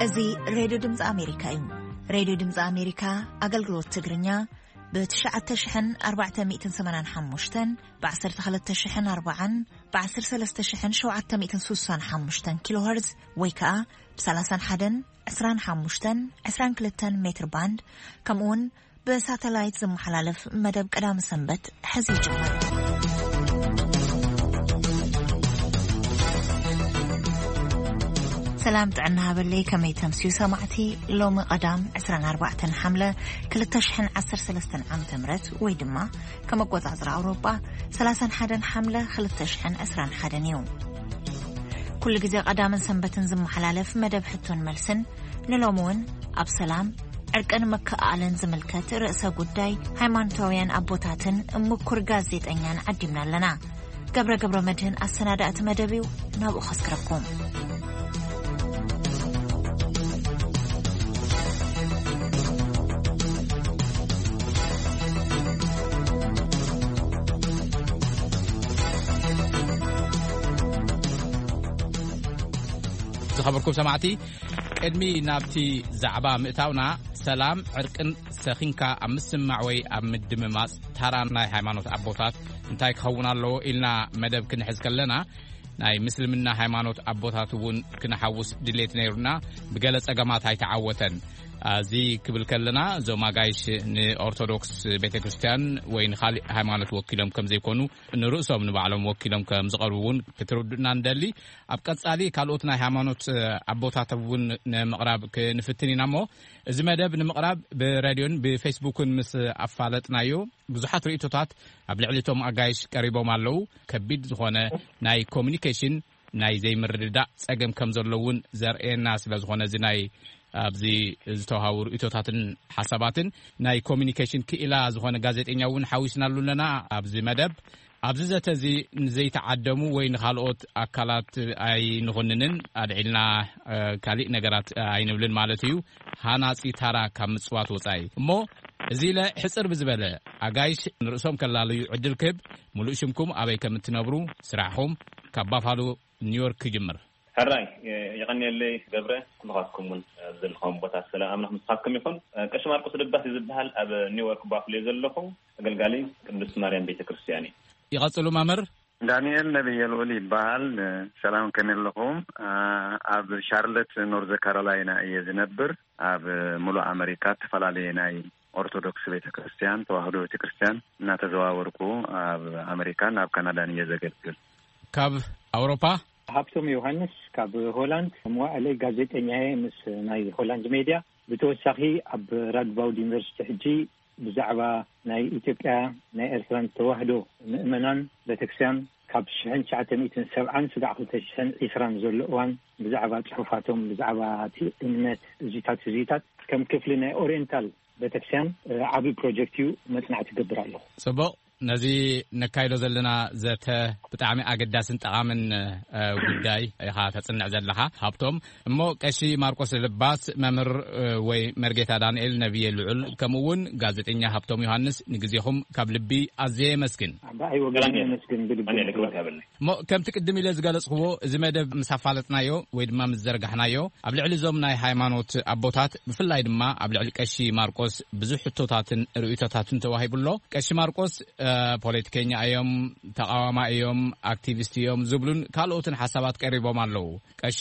እዚ ሬድዮ ድምፂ ኣሜሪካ እዩ። ሬድዮ ድምፂ ኣሜሪካ ኣገልግሎት ትግርኛ ብ ትሽዓተ ሽሕን ኣርባዕተ ሚእትን ሰማንያን ሓሙሽተን፣ ብ ዓሰርተ ክልተ ሽሕን ኣርባዓን፣ ብ ዓሰርተ ሰለስተ ሽሕን ሸውዓተ ሚእትን ስሳን ሓሙሽተን ኪሎ ሄርዝ ወይ ከዓ ብ ሰላሳን ሓደን፣ ዕስራን ሓሙሽተን፣ ዕስራን ክልተን ሜትር ባንድ፣ ከምኡ እውን ብሳተላይት ዝመሓላለፍ መደብ ቀዳሚ ሰንበት ሕዚ ይጅምር። ሰላም ጥዕና ሃበለይ፣ ከመይ ተምስዩ ሰማዕቲ? ሎሚ ቀዳም ዕስራን ኣርባዕተን ሓምለ ክልተ ሽሕን ዓሰርተ ሰለስተን ዓመተ ምህረት ወይ ድማ ከም ኣቆጻጽራ ኣውሮጳ ሰላሳን ሓደን ሓምለ ክልተ ሽሕን ዕስራን ሓደን እዩ። ኩሉ ግዜ ቀዳምን ሰንበትን ዝመሓላለፍ መደብ ሕቶን መልስን ንሎሚ እውን ኣብ ሰላም፣ ዕርቅን ምክእኣልን ዝምልከት ርእሰ ጉዳይ ሃይማኖታውያን ኣቦታትን ምኩር ጋዜጠኛን ዓዲምና ኣለና። ገብረ ገብረ መድህን ኣሰናዳእቲ መደብ እዩ። ናብኡ ከስክረኩም። ዝኸበርኩም ሰማዕቲ፣ ቅድሚ ናብቲ ዛዕባ ምእታውና፣ ሰላም ዕርቅን ሰኺንካ ኣብ ምስማዕ ወይ ኣብ ምድምማጽ ታራ ናይ ሃይማኖት ኣቦታት እንታይ ክኸውን ኣለዎ ኢልና መደብ ክንሕዝ ከለና፣ ናይ ምስልምና ሃይማኖት ኣቦታት እውን ክንሓውስ ድሌት ነይሩና። ብገለ ጸገማት ኣይተዓወተን። እዚ ክብል ከለና፣ እዞም ኣጋይሽ ንኦርቶዶክስ ቤተ ክርስቲያን ወይ ንኻሊእ ሃይማኖት ወኪሎም ከም ዘይኮኑ፣ ንርእሶም ንባዕሎም ወኪሎም ከም ዝቐርቡ እውን ክትርድኡና ንደሊ። ኣብ ቀጻሊ ካልኦት ናይ ሃይማኖት ኣቦታት እውን ንምቕራብ ክንፍትን ኢና እሞ፣ እዚ መደብ ንምቕራብ ብሬድዮን ብፌስቡክን ምስ ኣፋለጥናዮ፣ ብዙሓት ርእይቶታት ኣብ ልዕሊ እቶም ኣጋይሽ ቀሪቦም ኣለዉ። ከቢድ ዝኾነ ናይ ኮሚኒኬሽን ናይ ዘይምርድዳእ ጸገም ከም ዘሎ እውን ዘርእየና ስለ ዝኾነ፣ እዚ ናይ ኣብዚ ዝተዋሃቡ ርእይቶታትን ሓሳባትን ናይ ኮሚኒኬሽን ክኢላ ዝኾነ ጋዜጠኛ እውን ሓዊስናሉ ኣለና ኣብዚ መደብ። ኣብዚ ዘተ እዚ ንዘይተዓደሙ ወይ ንኻልኦት ኣካላት ኣይንኹንንን፣ ኣድዒልና፣ እ፣ ካሊእ ነገራት ኣይንብልን ማለት እዩ። ሃናጺ ታራ ካብ ምጽዋት ወጻኢ። እሞ እዚ ኢለ ሕጽር ብዝበለ ኣጋይሽ ንርእሶም ከላለዩ ዕድል ክህብ፣ ሙሉእ ሽምኩም፣ ኣበይ ከም እትነብሩ፣ ስራሕኹም፣ ካብ ባፋሎ ኒውዮርክ ክጅምር። ሕራይ፣ እ፣ የቐንየለይ ገብረ፣ ኩልኻትኩም እውን ኣብ ዘለኹም ቦታ ሰላም ኣምላኽ ምሳኻትኩም ይኹን። እ፣ ቀሺ ማርቆስ ደባስ እዩ ዝበሃል፣ ኣብ ኒውዮርክ ባፍሎ እየ ዘለኹ። ኣገልጋሊ ቅድስት ማርያም ቤተ ክርስቲያን እዩ። ይቐጽሉ መምህር። ዳንኤል ነብየ ልዑል ይበሃል። ሰላም፣ ከመይ ኣለኹም? አ፣ ኣብ ሻርለት ኖርዝ ካሮላይና እየ ዝነብር። ኣብ ሙሉእ ኣመሪካ እተፈላለየ ናይ ኦርቶዶክስ ቤተ ክርስቲያን፣ ተዋህዶ ቤተ ክርስቲያን እናተዘዋወርኩ ኣብ ኣመሪካን ኣብ ካናዳን እየ ዘገልግል። ካብ ኣውሮፓ? ሃብቶም ዮሃንስ ካብ ሆላንድ። መዋእለይ ጋዜጠኛ እየ ምስ ናይ ሆላንድ ሜድያ። ብተወሳኺ ኣብ ራድባውድ ዩኒቨርሲቲ ሕጂ ብዛዕባ ናይ ኢትዮጵያ ናይ ኤርትራን ተዋህዶ ምእመናን ቤተክርስትያን ካብ ሽሕን ትሽዓተ ሚእትን ሰብዓን ስጋዕ ክልተ ሽሕን ዕስራን ዘሎ እዋን ብዛዕባ ጽሑፋቶም፣ ብዛዕባ እቲ እምነት፣ እዚታት እዚታት ከም ክፍሊ ናይ ኦሪየንታል ቤተክርስትያን፣ እ፣ ዓቢ ፕሮጀክት እዩ፣ መጽናዕቲ ይገብር ኣለኹ። ጽቡቕ። ነዚ ነካይዶ ዘለና ዘተ ብጣዕሚ ኣገዳስን ጠቓምን፣ እ፣ ጉዳይ ኢኻ ተጽንዕ ዘለኻ ሃብቶም። እሞ ቀሺ ማርቆስ ልባስ፣ መምህር፣ እ፣ ወይ መርጌታ ዳንኤል ነብየ ልዑል፣ ከምኡ እውን ጋዜጠኛ ሃብቶም ዮሃንስ፣ ንግዜኹም ካብ ልቢ ኣዝየ የመስግን። ብኣይ ወገን የመስግን ብልቢ። ኣነ ልክበካ ይብለኒ። እሞ ከምቲ ቅድም ኢለ ዝገለጽክዎ፣ እዚ መደብ ምስ ኣፋለጥናዮ ወይ ድማ ምስ ዘርጋሕናዮ፣ ኣብ ልዕሊ እዞም ናይ ሃይማኖት ኣቦታት፣ ብፍላይ ድማ ኣብ ልዕሊ ቀሺ ማርቆስ ብዙሕ ሕቶታትን ርእይቶታትን ተዋሂቡ ኣሎ። ቀሺ ማርቆስ፣ እ፣ ፖለቲከኛ እዮም፣ ተቓዋማ እዮም፣ ኣክቲቪስት እዮም ዝብሉን ካልኦትን ሓሳባት ቀሪቦም ኣለዉ። ቀሺ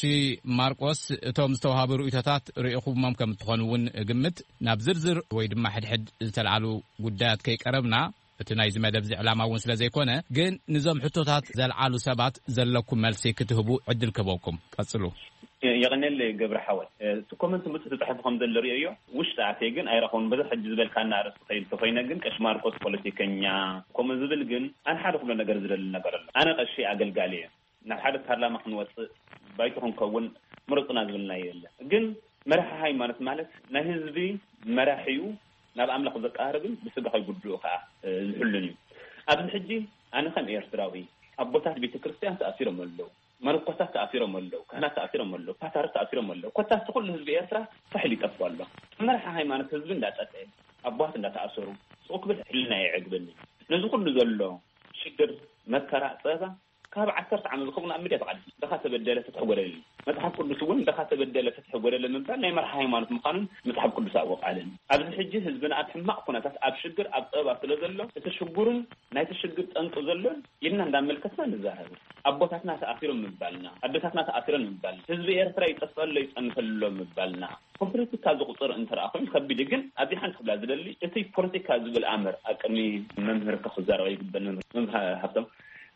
ማርቆስ፣ እቶም ዝተዋሃቡ ርእይቶታት ርኢኹሞም ከም እትኾኑ እውን እግምት። ናብ ዝርዝር ወይ ድማ ሕድሕድ ዝተልዓሉ ጉዳያት ከይቀረብና፣ እቲ ናይዚ መደብ እዚ ዕላማ እውን ስለ ዘይኮነ፣ ግን ንዞም ሕቶታት ዘልዓሉ ሰባት ዘለኩም መልሲ ክትህቡ ዕድል ክህበኩም። ቀጽሉ። የ-፣ የቐንየለይ ገብረ ሓወይ። እ፣ እቲ ኮመንት ምጽ ተጻሒፉ ከም ዘሎ ርእዮ፣ ውሽጢ ኣትየ ግን ኣይረኸቡን። በዚ ሕጂ ዝበልካና ኣርእስቲ ከይድ ተኾይነ ግን፣ ቀሺ ማርቆስ ፖለቲከኛ፣ ከምኡ ዝብል ግን ኣነ ሓደ ክብሎ ነገር ዝደሊ ነገር ኣሎ። ኣነ ቀሺ ኣገልጋሊ እየ። ናብ ሓደ ፓርላማ ክንወጽእ፣ ባይቶ ክንከውን፣ ምረጹና ዝብልና የለን። ግን መራሒ ሃይማኖት ማለት ናይ ህዝቢ መራሒ እዩ፣ ናብ ኣምላኽ ዘቀራርብን ብስጋ ከይጉድኡ ከኣ፣ እ፣ ዝሕሉን እዩ። ኣብዚ ሕጂ ኣነ ከም ኤርትራዊ፣ ኣቦታት ቤተ ክርስቲያን ተኣሲሮም ኣለዉ፣ መነኮሳት ተኣሲሮም ኣለዉ፣ ካህናት ተኣሲሮም ኣለዉ፣ ፓትርያርክ ተኣሲሮም ኣለዉ። ኮታስ ኩሉ ህዝቢ ኤርትራ ፋሕ ኢሉ ይጠፍእ ኣሎ። መራሒ ሃይማኖት ህዝቢ እንዳጠፍአ፣ ኣቦታት እንዳተኣሰሩ፣ ስቕ ክብል ሕልና የዕግበኒ። ነዚ ኩሉ ዘሎ ሽግር፣ መከራ፣ ጸበባ ካብ ዓሰርተ ዓመት ዝኸውን ኣብ ሚድያ ተቓሊሱ፣ ድኻ ተበደለ ፍትሒ ጎደለ። መጽሓፍ ቅዱስ እውን ድኻ ተበደለ ፍትሒ ጎደለ ምባል ናይ መርሓ ሃይማኖት ምዃኑን መጽሓፍ ቅዱስ ኣብኡ ቃልን። ኣብዚ ሕጂ ህዝብና ኣብ ሕማቕ ኩነታት፣ ኣብ ሽግር፣ ኣብ ጸበባ ስለ ዘሎ፣ እቲ ሽጉርን ናይቲ ሽግር ጠንቂ ዘሎን ኢልና እንዳመልከትና ንዛረብ። ኣቦታትና ተኣሲሮም ምባልና፣ ኣደታትና ተኣሲሮም ምባልና፣ ህዝቢ ኤርትራ ይጠፍኣሎ ይጸንፈሎ ምባልና፣ ፖለቲካ ዝቁጽር እንተ ደኣ ኮይኑ ከቢድ እዩ። ግን ኣብዚ ሓንቲ ክብላ ዝደሊ፣ እቲ ፖለቲካ ዝብል ኣምር ኣብ ቅድሚ መምህር ክዛረብ ይግበእ። መምህር ሃብቶም፣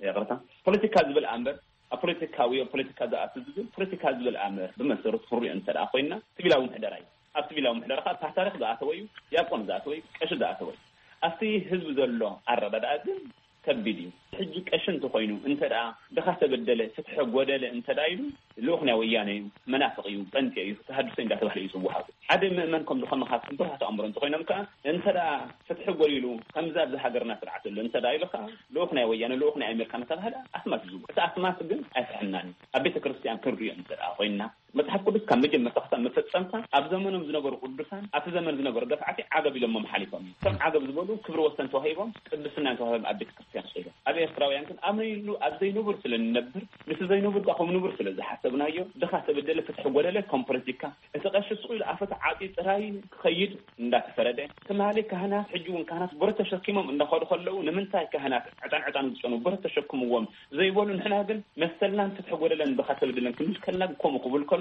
ይቕርታ፣ ፖለቲካ ዝብል ኣምር ኣብ ፖለቲካዊ፣ ኣብ ፖለቲካ ዝኣቱ ዝብል፣ ፖለቲካ ዝብል ኣምር ብመሰረቱ ክንሪኦ እንተ ደኣ ኮይና፣ ሲቪላዊ ምሕደራ እዩ። ኣብ ሲቪላዊ ምሕደራ ከኣ ፓትርያርክ ዝኣተወ እዩ፣ ዲያቆን ዝኣተወ እዩ፣ ቀሺ ዝኣተወ እዩ። ኣብቲ ህዝቢ ዘሎ ኣረዳድኣ ግን ከቢድ እዩ። ሕጂ ቀሺ እንተኾይኑ እንተ ደኣ ድኻ ተበደለ፣ ፍትሒ ጎደለ እንተ ደኣ ኢሉ፣ ልኡኽ ናይ ወያነ እዩ፣ መናፍቕ እዩ፣ ጴንጤ እዩ፣ ተሃድሶ እንዳተባህለ እዩ ዝወሃብ። ሓደ ምእመን ከም ዝኾነ ካብ ስብራት ኣእምሮ እንተኾይኖም ከኣ፣ እንተ ደኣ ፍትሒ ጎዲሉ፣ ከምዚ ኣብዚ ሃገርና ስርዓት ኣሎ እንተ ደኣ ኢሉ ከኣ፣ ልኡኽ ናይ ወያነ፣ ልኡኽ ናይ ኣሜሪካ እናተባህለ ኣስማት እዩ ዝውሃብ። እቲ ኣስማት ግን ኣይፍሕናን እዩ። ኣብ ቤተ ክርስቲያን ክንሪኦ እንተ ደኣ ኮይንና፣ መጽሓፍ ቅዱስ ካብ መጀመርታ ክሳብ መፈጸምታ ኣብ ዘመኖም ዝነበሩ ቅዱሳን፣ ኣብቲ ዘመን ዝነበሩ ደፋዕቲ ዓገብ ኢሎሞም ሓሊፎም እዮም። እቶም ዓገብ ዝበሉ ክብሪ ወሰን ተዋሂቦም፣ ቅድስና ተዋሂቦም ኣብ ቤተ ክርስቲያን ስኢሎም። ኣብ ኤርትራውያን ግን ኣብ ነይሉ፣ ኣብ ዘይንቡር ስለ ንነብር፣ ምስቲ ዘይንቡር ከኣ ከም ንቡር ስለ ዝሓሰብናዮ፣ ድኻ ተበደለ ፍትሒ ጎደለ ከም ፖለቲካ፣ እቲ ቀሺ ስቕ ኢሉ ኣፈ ተዓጽዩ ጥራይ ክኸይድ እንዳተፈረደ፣ ትማሊ ካህናት፣ ሕጂ እውን ካህናት ብረት ተሸኪሞም እንዳኸዱ ከለዉ፣ ንምንታይ ካህናት ዕጣን ዕጣን ዝጨኑ ብረት ተሸክምዎም ዘይበሉ፣ ንሕና ግን መሰልናን ፍትሒ ጎደለን ድኻ ተበደለን ክንብል ከለና ከምኡ ክብል ከሎ፣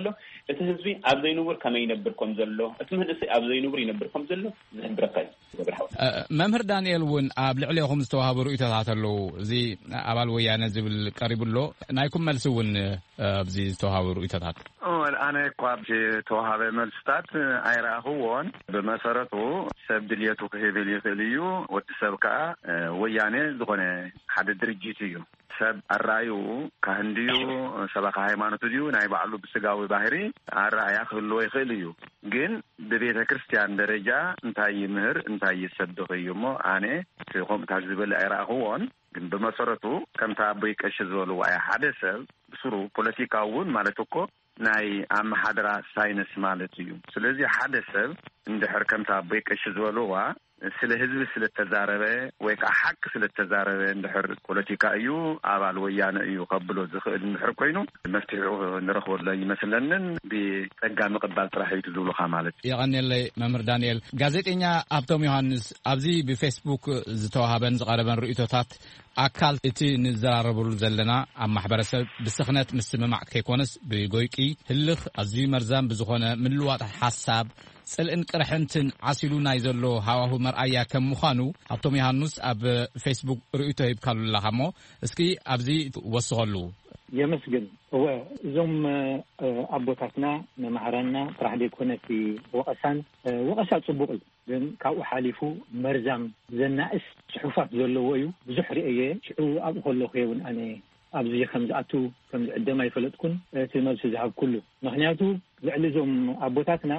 እቲ ህዝቢ ኣብ ዘይንቡር ከመይ ይነብር ከም ዘሎ፣ እቲ መንእሰይ ኣብ ዘይንቡር ይነብር ከም ዘሎ ዝሕብረካ እዩ። ገብረ ሓወይ። እ፣ መምህር ዳንኤል እውን ኣብ ልዕሌኹም ዝተዋህቡ ርእይቶታት ኣለዉ። እዚ ኣባል ወያነ ዝብል ቀሪቡ ኣሎ። ናይኩም መልሲ እውን፣ እ፣ ኣብዚ ዝተዋህቡ ርእይቶታት። እወ፣ ኣነ እኳ ኣብዚ ዝተዋሃበ መልስታት ኣይረኣኽዎን። ብመሰረቱ ሰብ ድልየቱ ክህብል ይኽእል እዩ። ወዲ ሰብ ከኣ፣ እ፣ ወያነ ዝኾነ ሓደ ድርጅት እዩ። ሰብ ኣረኣዩ ካህን ድዩ፣ ሰባኺ ሃይማኖት ድዩ፣ ናይ ባዕሉ ብስጋዊ ባህሪ ኣረኣያ ክህልዎ ይኽእል እዩ። ግን ብቤተ ክርስቲያን ደረጃ እንታይ ይምህር፣ እንታይ ይሰብኽ እዩ እሞ፣ ኣነ እቲ ከምኡታት ዝበለ ኣይረኣኽዎን። ግን ብመሰረቱ ከምቲ ኣቦይ ቀሺ ዝበልዎ ኣየ፣ ሓደ ሰብ ብስሩ ፖለቲካ እውን ማለት እኮ ናይ ኣመሓድራ ሳይንስ ማለት እዩ። ስለዚ ሓደ ሰብ እንድሕር ከምቲ ኣቦይ ቀሺ ዝበልዋ ስለ ህዝቢ ስለ ተዛረበ ወይ ከዓ ሓቂ ስለ ተዛረበ እንድሕር ፖለቲካ እዩ፣ ኣባል ወያነ እዩ ከብሎ ዝኽእል እንድሕር ኮይኑ መፍትሒኡ ንረኽበሉ ኣይመስለንን። ብጸጋ ምቕባል ጥራሕ እዩ ዝብሉኻ ማለት እዩ። የቐንየለይ መምህር ዳንኤል። ጋዜጠኛ ሃብቶም ዮሃንስ፣ ኣብዚ ብፌስቡክ ዝተዋሃበን ዝቐረበን ርእይቶታት ኣካል እቲ ንዘራረበሉ ዘለና ኣብ ማሕበረሰብ ብስኽነት ምስምማዕ ከይኮነስ ብጎይቂ ህልኽ ኣዝዩ መርዛም ብዝኾነ ምልዋጥ ሓሳብ ጽልእን ቅርሕንትን ዓሲሉ ናይ ዘሎ ሃዋሁ መርኣያ ከም ምዃኑ ሃብቶም ዮሃንስ ኣብ ፌስቡክ ርእይቶ ሂብካሉ ኣለኻ እሞ እስኪ ኣብዚ ወስኸሉ። የመስግን። እወ፣ እዞም፣ እ፣ ኣቦታትና መማህራንና ጥራሕ ዘይኮነ እቲ ወቐሳን፣ እ፣ ወቐሳ ጽቡቕ እዩ። ግን ካብኡ ሓሊፉ መርዛም ዘናእስ ጽሑፋት ዘለዎ እዩ። ብዙሕ ርእየ፣ ሽዑ ኣብኡ ከለኹ እውን ኣነ ኣብዚ ከም ዝኣቱ ከም ዝዕደም ኣይፈለጥኩን። እቲ መልሲ ዝሃብኩሉ ምኽንያቱ ልዕሊ እዞም ኣቦታትና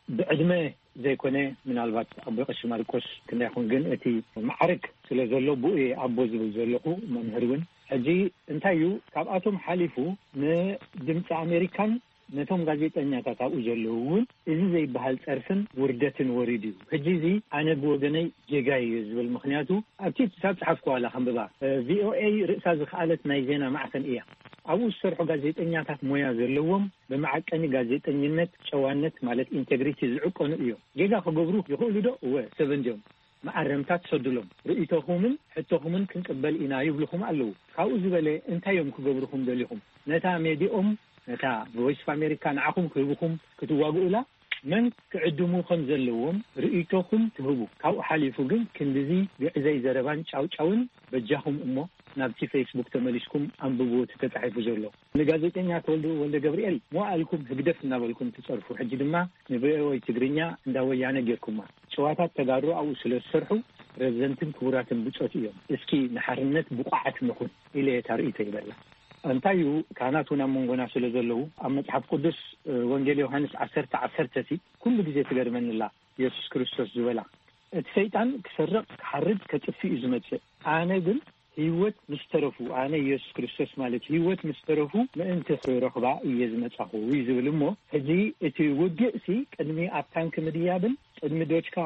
ብዕድመ ዘይኮነ፣ ምናልባት ኣቦ ቀሺ ማርቆስ ክንደይ ይኹን፣ ግን እቲ ማዕረግ ስለ ዘሎ ብኡ እየ ኣቦ ዝብል ዘለኹ፣ መምህር እውን። ሕጂ እንታይ እዩ ካብኣቶም ሓሊፉ ንድምፂ ኣሜሪካን ነቶም ጋዜጠኛታት ኣብኡ ዘለዉ እውን እዚ ዘይበሃል ጸርፍን ውርደትን ወሪዱ እዩ። ሕጂ እዚ ኣነ ብወገነይ ጌጋ እዩ ዝብል፣ ምኽንያቱ ኣብቲ ክሳብ ጸሓፍኩ ዋላ ከንብባ፣ እ፣ ቪኦኤ ርእሳ ዝኸኣለት ናይ ዜና ማዕኸን እያ። ኣብኡ ዝሰርሑ ጋዜጠኛታት ሞያ ዘለዎም፣ ብመዓቀኒ ጋዜጠኝነት፣ ጨዋነት ማለት ኢንቴግሪቲ ዝዕቀኑ እዮም። ጌጋ ክገብሩ ይኽእሉ ዶ? እወ፣ ሰብ እንድዮም። መኣረምታ ትሰዱሎም፣ ርእይቶኹምን ሕቶኹምን ክንቅበል ኢና ይብልኹም ኣለዉ። ካብኡ ዝበለ እንታይ እዮም ክገብሩኹም ደሊኹም? ነታ ሜድኦም፣ ነታ ቮይስ ኦፍ ኣሜሪካ ንዓኹም ክህብኹም ክትዋግኡላ መን ክዕድሙ ከም ዘለዎም ርእይቶኹም ትህቡ። ካብኡ ሓሊፉ ግን ክንድዚ ግዕዘይ ዘረባን ጫውጫውን በጃኹም እሞ ናብቲ ፌስቡክ ተመሊስኩም ኣንብብዎ እቲ ተጻሒፉ ዘሎ። ንጋዜጠኛ ተወልደ ወልደ ገብርኤል መዋእልኩም ህግደፍ እናበልኩም ትጸርፉ፣ ሕጂ ድማ ንቪኦኤ ትግርኛ እንዳ ወያነ ጌርኩማ። ጭዋታት ተጋሩ ኣብኡ ስለ ዝሰርሑ ረዘንትን ክቡራትን ብጾት እዮም። እስኪ ንሓርነት ብቑዓት ንኹን ኢለ እየ እታ ርእይቶ ይበላ። እንታይ እዩ፣ ካህናት እውን ኣብ መንጎና ስለ ዘለዉ፣ ኣብ መጽሓፍ ቅዱስ፣ እ፣ ወንጌል ዮሃንስ ዓሰርተ ዓሰርተ ሲ ኩሉ ግዜ ትገርመኒ ኣላ፣ የሱስ ክርስቶስ ዝበላ፣ እቲ ሰይጣን ክሰርቕ፣ ክሓርድ፣ ከጥፍእ እዩ ዝመጽእ። ኣነ ግን ህይወት ምስ ተረፉ፣ ኣነ የሱስ ክርስቶስ ማለት ህይወት ምስ ተረፉ ምእንቲ ክረኽባ እየ ዝመጻኹ እዩ ዝብል እሞ፣ ሕጂ እቲ ውግእ ሲ ቅድሚ ኣብ ታንክ ምድያብን ቅድሚ ዶችካ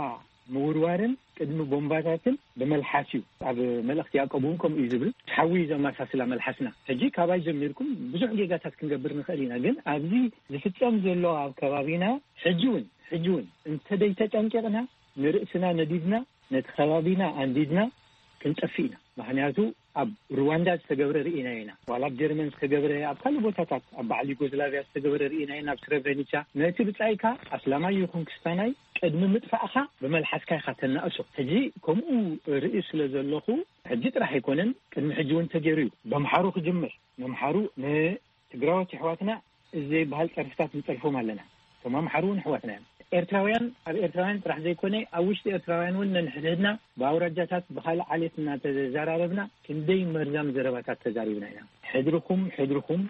ምውርዋርን ቅድሚ ቦምባታትን ብመልሓስ እዩ። ኣብ መልእኽቲ ያዕቆብ እውን ከምኡ እዩ ዝብል። ሓዊ እዩ ዘመሳስላ መልሓስና። ሕጂ ካባይ ጀሚርኩም ብዙሕ ጌጋታት ክንገብር ንኽእል ኢና፣ ግን ኣብዚ ዝፍጸም ዘሎ ኣብ ከባቢና ሕጂ እውን ሕጂ እውን እንተደይተጠንቂቕና ንርእስና ነዲድና ነቲ ከባቢና ኣንዲድና ክንጠፍእ ኢና። ምኽንያቱ ኣብ ሩዋንዳ ዝተገብረ ርኢና ኢና፣ ዋላ ኣብ ጀርመን ዝተገብረ፣ ኣብ ካልእ ቦታታት ኣብ በዓል ዩጎዝላቪያ ዝተገብረ ርኢና ኢና። ኣብ ስረብረኒቻ ነቲ ብጻይካ ኣስላማይ ይኹን ክስታናይ ቅድሚ ምጥፋእኻ ብመልሓስካ ኢኻ ተናእሶ። ሕጂ ከምኡ ርኢ ስለ ዘለኹ ሕጂ ጥራሕ ኣይኮነን፣ ቅድሚ ሕጂ እውን ተገይሩ እዩ። በምሓሩ ክጅምር፣ ነምሓሩ ንትግራዎት የሕዋትና እዚ ዘይበሃል ጸርፍታት ንጸርፎም ኣለና። እቶም ኣምሓሩ እውን ኣሕዋትና እዮም። ኤርትራውያን ኣብ ኤርትራውያን ጥራሕ ዘይኮነ ኣብ ውሽጢ ኤርትራውያን እውን ነንሕድሕድና ብኣውራጃታት ብኻልእ ዓሌት እናተዘራረብና ክንደይ መርዛም ዘረባታት ተዛሪብና ኢና። ሕድርኹም ሕድርኹም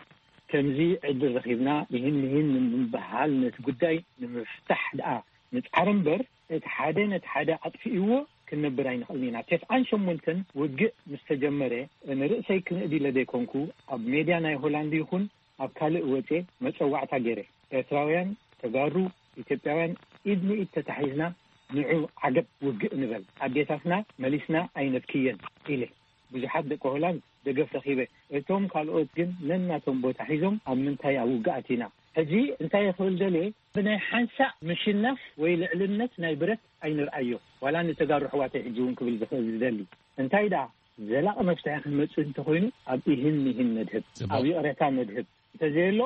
ከምዚ ዕድል ረኺብና ይህን ይህን ንምበሃል ነቲ ጉዳይ ንምፍታሕ ደኣ ንጻዕር እምበር እቲ ሓደ ነቲ ሓደ ኣጥፊእዎ ክንነብር ኣይንኽእልን ኢና። ተስዓን ሸሞንተን ውግእ ምስ ተጀመረ ንርእሰይ ክንእድ ኢለ ዘይኮንኩ ኣብ ሜድያ ናይ ሆላንድ ይኹን ኣብ ካልእ ወጼ መጸዋዕታ ገይረ። ኤርትራውያን፣ ተጋሩ፣ ኢትዮጵያውያን ኢድ ንኢድ ተታሒዝና ንዑ ዓገብ ውግእ ንበል። ኣዴታትና መሊስና ኣይነብክየን ኢለ። ብዙሓት ደቂ ሆላንድ ደገፍ ረኺበ። እቶም ካልኦት ግን ነናቶም ቦታ ሒዞም ኣብ ምንታይ ኣብ ውግኣት ኢና። ሕጂ እንታይ ክብል ደልየ፣ ብናይ ሓንሳእ ምሽናፍ ወይ ልዕልነት ናይ ብረት ኣይንርኣዮ። ዋላ ንተጋሩ ኣሕዋተይ ሕጂ እውን ክብል ዝኽእል ዝደሊ እንታይ ደኣ ዘላቒ መፍትሒ ክንመጽእ እንተኾይኑ ኣብ ኢህን ሚህን ነድህብ፣ ጽቡቕ። ኣብ ይቕሬታ ነድህብ። እንተዘየሎ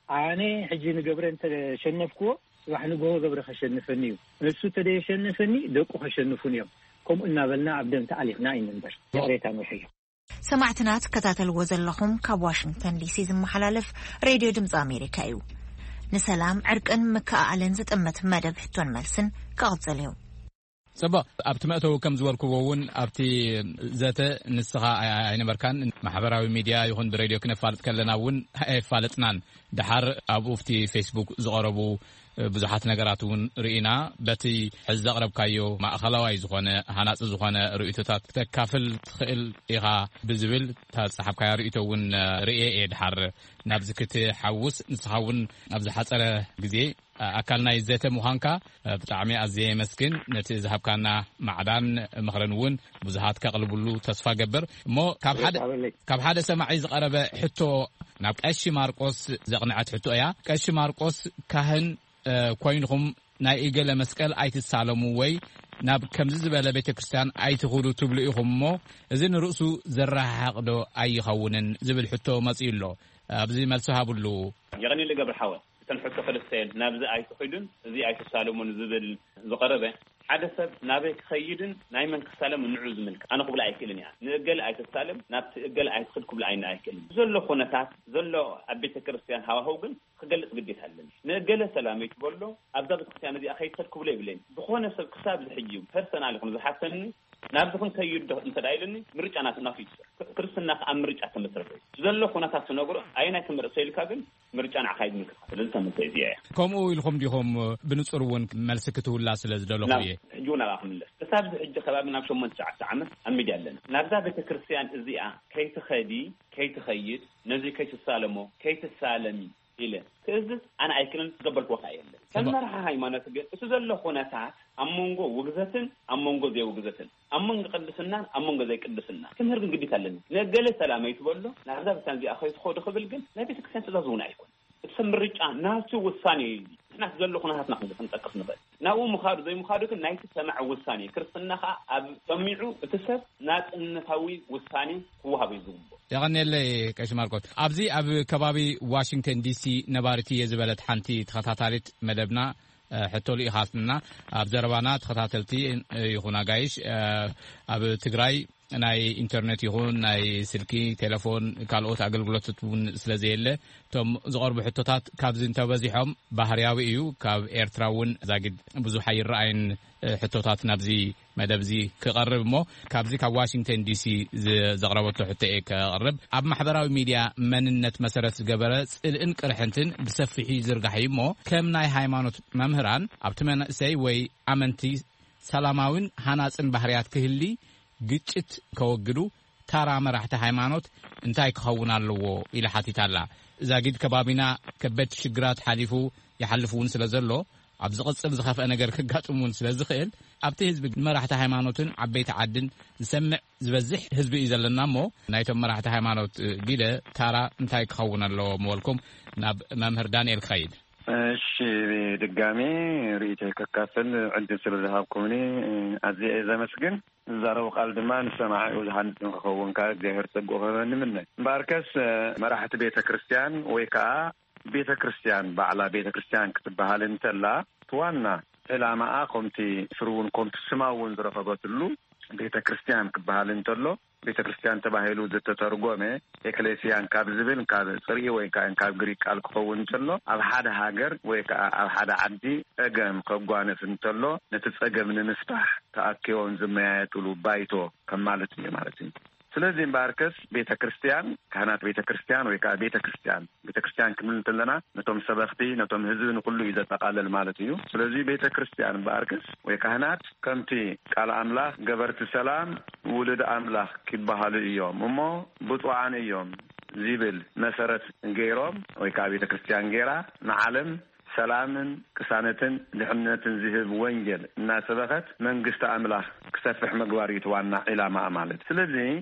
ኣነ ሕጂ ንገብረ እንተሸነፍክዎ ጽባሕ ንግሆ ገብረ ከሸንፈኒ እዩ። ንሱ እንተደየሸነፈኒ ደቁ ከሸንፉን እዮም። ከምኡ እናበልና ኣብ ደም ተኣሊኽና ኣይንንበር። ይቕሬታ ንውሕዮ። ሰማዕትና ትከታተልዎ ዘለኹም ካብ ዋሽንግተን ዲሲ ዝመሓላለፍ ሬድዮ ድምፂ ኣሜሪካ እዩ። ንሰላም ዕርቅን ምክእኣልን ዝጥምት መደብ ሕቶን መልስን ክቕፅል እዩ። ጽቡቕ። ኣብቲ መእተዊ ከም ዝበልክዎ እውን ኣብቲ ዘተ ንስኻ ኣይ- ኣይነበርካን። ማሕበራዊ ሚድያ ይኹን ብሬድዮ ክነፋልጥ ከለና እውን ኣየፋለጥናን። ድሓር ኣብኡ ኣብቲ ፌስቡክ ዝቐረቡ ብዙሓት ነገራት እውን ርኢና። በቲ ሕዚ ዘቕረብካዮ ማእኸላዋይ ዝኾነ ሃናጺ ዝኾነ ርእይቶታት ክተካፍል ትኽእል ኢኻ ብዝብል እታ ዝጸሓፍካያ ርእይቶ እውን ርእየ እየ። ድሓር ናብዚ ክትሓውስ ንስኻ እውን ኣብ ዝሓጸረ ግዜ ኣካል ናይ ዘተ ምዃንካ ብጣዕሚ ኣዝየ የመስግን። ነቲ ዝሃብካና ማዕዳን ምኽርን እውን ብዙሃት ከቕልብሉ ተስፋ ገብር። እሞ ካብ ሓደ ካብ ሓደ ሰማዒ ዝቐረበ ሕቶ ናብ ቀሺ ማርቆስ ዘቕንዐት ሕቶ እያ። ቀሺ ማርቆስ ካህን ኮይንኹም ናይ እገለ መስቀል ኣይትሳለሙ ወይ ናብ ከምዚ ዝበለ ቤተ ክርስቲያን ኣይትኹዱ ትብሉ ኢኹም እሞ እዚ ንርእሱ ዘረሓሕቕ ዶ ኣይኸውንን ዝብል ሕቶ መጺኡ ኣሎ። ኣብዚ መልሲ ሃብሉ። የቐንየለይ ገብረ ሓወ። እተን ሕቶ ክልተ እየን። ናብዚ ኣይትኺዱን እዚ ኣይትሳለሙን ዝብል ዝቐረበ፣ ሓደ ሰብ ናበይ ክኸይድን ናይ መን ክሳለም ንዑ ዝምልከት ኣነ ክብላ ኣይክእልን እያ። ንእገለ ኣይትሳለም፣ ናብቲ እገለ ኣይትኽድ ክብላ ኣይነ ኣይክእልን። ዘሎ ኩነታት ዘሎ ኣብ ቤተ ክርስቲያን ሃዋህው ግን ክገልጽ ግዴታ ኣለኒ። ንእገለ ሰላመይ ትበሎ ኣብዛ ቤተክርስትያን እዚኣ ከይትኸድ ክብሎ የብለይን። ዝኾነ ሰብ ክሳብ እዚ ሕጂ ፐርሰናል ይኹን ዝሓተኒ ናብዚ ክንከይድ ዶ እንተ ደኣ ኢሉኒ ምርጫ ናቱ ናቱ እዩ ዝሰርሕ። ክርስትና ከኣ ኣብ ምርጫ ተመስረተ እዩ። ዘሎ ኩነታት ትነግሮ ኣየናይ ትመርጽ ኢልካ ግን ምርጫ ንዓኻ እዩ ዝምልከትካ። ስለዚ እታ መልሰይ እዚኣ እያ። ከምኡ ኢልኩም ዲኹም ብንጹር እውን መልሲ ክትህቡላ ስለ ዝደለኹ እየ። ሕጂ እውን ኣብኣ ክምለስ። ክሳብ እዚ ሕጂ ከባቢ ናብ ሸሞንተ ትሽዓተ ዓመት ኣብ ሚድያ ኣለና። ናብዛ ቤተክርስትያን እዚኣ ከይትኸዲ ከይትኸይድ ነዚ ከይትሳለሞ ከይትሳለሚ ኢለ ክእዝዝ ኣነ ኣይክእልን ዝገበርክዎ ከኣ የለን። ከም መራሒ ሃይማኖት ግን እቲ ዘሎ ኩነታት ኣብ መንጎ ውግዘትን ኣብ መንጎ ዘይውግዘትን ኣብ መንጎ ቅድስናን ኣብ መንጎ ዘይቅድስና ክምህር ግን ግዴታ ኣለኒ። ንእገለ ሰላመይ ትበሎ ናብዛ ቤተክርስትያን እዚኣ ከይትኸዱ ክብል ግን ናይ ቤተክርስትያን ትእዛዝ እውን ኣይኮነን። እቲ ሰብ ምርጫ ናቱ ውሳኔ እዩ። ንሕና እቲ ዘሎ ኩነታትና ክንጠቅስ ንኽእል። ናብኡ ምኻዱ ዘይምኻዱ ግን ናይቲ ሰማዒ ውሳኔ እዩ። ክርስትና ከኣ ኣብ ሰሚዑ እቲ ሰብ ናጽነታዊ ውሳኔ ክወሃቦ እዩ ዝግብኦ። የቐንየለይ ቀሺ ማርቆስ። ኣብዚ ኣብ ከባቢ ዋሽንግተን ዲሲ ነባሪት እየ ዝበለት ሓንቲ ተኸታታሊት መደብና ሕቶ ልኢኻትና። ኣብ ዘረባና ተኸታተልቲ ይኹን ኣጋይሽ ኣብ ትግራይ ናይ ኢንተርኔት ይኹን ናይ ስልኪ ቴሌፎን ካልኦት ኣገልግሎታት እውን ስለ ዘየለ እቶም ዝቐርቡ ሕቶታት ካብዚ እንተበዚሖም ባህርያዊ እዩ። ካብ ኤርትራ እውን ዛጊድ ብዙሕ ኣይረኣይን ሕቶታት ናብዚ መደብ እዚ ክቐርብ እሞ ካብዚ ካብ ዋሽንግተን ዲሲ ዘቕረበቶ ሕቶ እየ ከቕርብ። ኣብ ማሕበራዊ ሚድያ መንነት መሰረት ዝገበረ ጽልእን ቅርሕንትን ብሰፊሑ ይዝርጋሕ እዩ እሞ ከም ናይ ሃይማኖት መምህራን ኣብቲ መንእሰይ ወይ ኣመንቲ ሰላማዊን ሃናጽን ባህርያት ክህሊ ግጭት ከወግዱ ታራ መራሕቲ ሃይማኖት እንታይ ክኸውን ኣለዎ ኢላ ሓቲታ ኣላ። ዛጊድ ከባቢና ከበድቲ ሽግራት ሓሊፉ ይሓልፍ እውን ስለ ዘሎ ኣብ ዝቕጽል ዝኸፍአ ነገር ከጋጥም እውን ስለ ዝኽእል፣ ኣብቲ ህዝቢ፣ መራሕቲ ሃይማኖትን ዓበይቲ ዓድን ዝሰምዕ ዝበዝሕ ህዝቢ እዩ ዘለና እሞ፣ ናይቶም መራሕቲ ሃይማኖት፣ እ፣ ግደ ታራ እንታይ ክኸውን ኣለዎ ምበልኩም፣ ናብ መምህር ዳንኤል ክኸይድ። እሺ፣ ድጋሜ ርእይቶይ ከካፍል ዕድል ስለ ዝሃብኩምኒ፣ እ፣ ኣዝየ እየ ዘመስግን። ዝዛረቡ ቃል ድማ ንሰማዒኡ ዝሃንጽ ንክኸውን ከኣ እግዚኣብሔር ጸግኡ ክህበኒ እምነ። እምበኣርከስ፣ እ፣ መራሕቲ ቤተ ክርስቲያን ወይ ከኣ ቤተ ክርስቲያን ባዕላ ቤተ ክርስቲያን ክትበሃል እንተላ፣ እቲ ዋና ዕላማኣ ከምቲ ስሩ እውን ከምቲ ስማ እውን ዝረኸበትሉ ቤተ ክርስቲያን ክበሃል እንተሎ፣ ቤተ ክርስቲያን ተባሂሉ ዝተተርጎመ ኤክሌሲያን ካብ ዝብል ካብ ጽርኢ ወይ ከዓ ካብ ግሪክ ቃል ክኸውን እንተሎ፣ ኣብ ሓደ ሃገር ወይ ከዓ ኣብ ሓደ ዓዲ ጸገም ከጓንፍ እንተሎ፣ ነቲ ጸገም ንምፍታሕ ተኣኪቦም ዝመያየጥሉ ባይቶ ከም ማለት እዩ ማለት እዩ። ስለዚ እምበኣርከስ ቤተ ክርስቲያን፣ ካህናት ቤተ ክርስቲያን ወይ ከዓ ቤተ ክርስቲያን፣ ቤተ ክርስቲያን ክንብል እንተለና ነቶም ሰበኽቲ፣ ነቶም ህዝቢ፣ ንኩሉ እዩ ዘጠቓልል ማለት እዩ። ስለዚ ቤተ ክርስቲያን እምበኣርከስ ወይ ካህናት ከምቲ ቃል ኣምላኽ ገበርቲ ሰላም ውሉድ ኣምላኽ ኪበሃሉ እዮም እሞ ብፁዓን እዮም ዚብል መሰረት ገይሮም ወይ ከዓ ቤተ ክርስቲያን ገይራ ንዓለም ሰላምን ቅሳነትን ድሕነትን ዝህብ ወንጌል እናሰበኸት መንግስቲ ኣምላኽ ክሰፍሕ ምግባር እዩ እቲ ዋና ዒላማኣ ማለት። ስለዚ